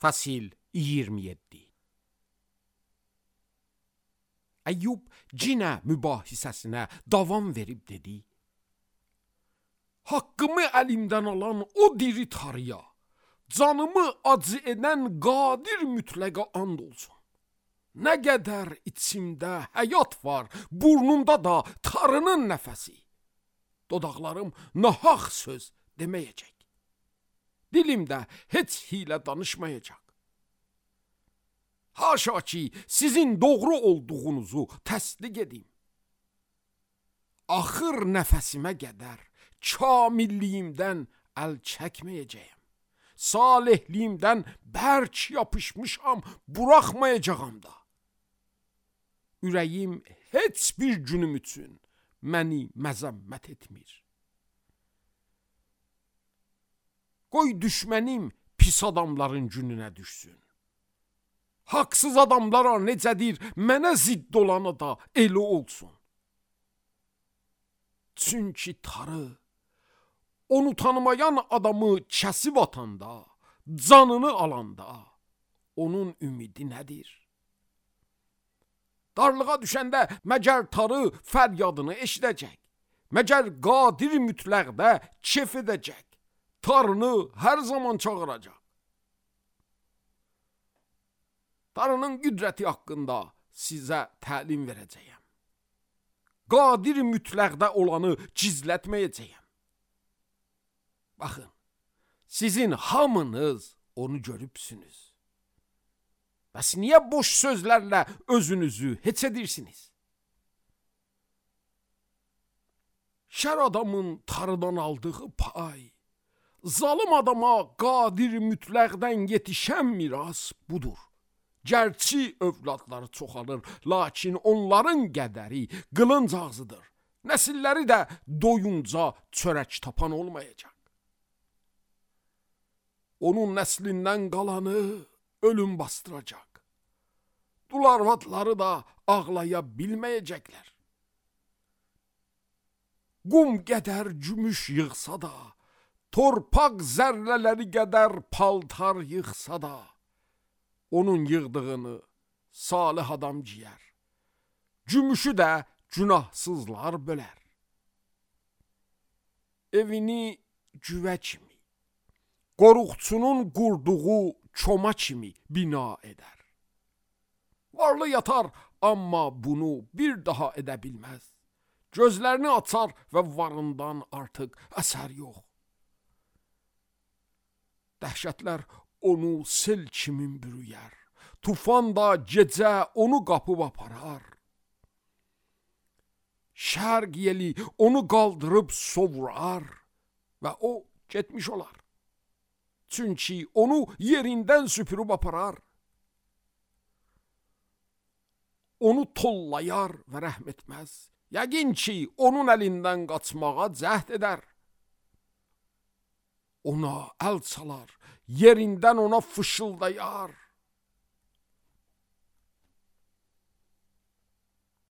Fəsil 27. Əyyub cinə mübahisəsinə davam verib dedi: Haqqımı əlimdən alan o diri tarıya, canımı acı edən qadir mütləqa and olsun. Nə qədər içimdə həyat var, burnumda da tarının nəfəsi. Dodaqlarım nahaq söz deməyəcək. Dilimdə heç hilə danışmayacaq. Haşa ki, sizin doğru olduğunuzu təsdiq edim. Axır nəfəsimə qədər kamilliyimdən əl çəkməyəcəyəm. Salihliyimdən bərk yapışmışam, buraxmayacağam da. Ürəyim heç bir günüm üçün məni məzəmmət etmir. Qoy düşmənim pis adamların gününə düşsün. Haqsız adamlara necədir, mənə zidd olanı da elə olsun. Çünki tarı, onu tanımayan adamı kəsib atanda, canını alanda, onun ümidi nədir? Darlığa düşəndə məgər tarı fəryadını eşidəcək, məgər qadir mütləqdə kef edəcək, tarını hər zaman çağıracaq. Tarının qüdrəti haqqında sizə təlim verəcəyəm. Qadir mütləqdə olanı gizlətməyəcəyəm. Baxın, sizin hamınız onu görübsünüz. Bəs niyə boş sözlərlə özünüzü heç edirsiniz? Şər adamın tarıdan aldığı pay, zalım adama qadir mütləqdən yetişən miras budur. Gerçi övladları çoxalır, lakin onların qədəri qılınc ağzıdır. Nəsilləri də doyunca çörək tapan olmayacaq. Onun nəslindən qalanı ölüm bastıracaq. Dul arvadları da ağlaya bilməyəcəklər. Qum qədər gümüş yığsa da, torpaq zərrələri qədər paltar yığsa da, onun yığdığını salih adam giyər. Gümüşü də günahsızlar bölər. Evini güvə kimi, qoruqçunun qurduğu koma kimi bina edər. Varlı yatar, amma bunu bir daha edə bilməz. Gözlərini açar və varından artıq əsər yox. Dəhşətlər onu sel kimi bürüyər. Tufan da gecə onu qapıb aparar. Şərq yeli onu qaldırıb sovurar və o getmiş olar. Çünki onu yerindən süpürüb aparar. Onu tollayar və rəhm etməz. Yəqin ki, onun əlindən qaçmağa cəhd edər. Ona əl çalar, yerindən ona fışıldayar.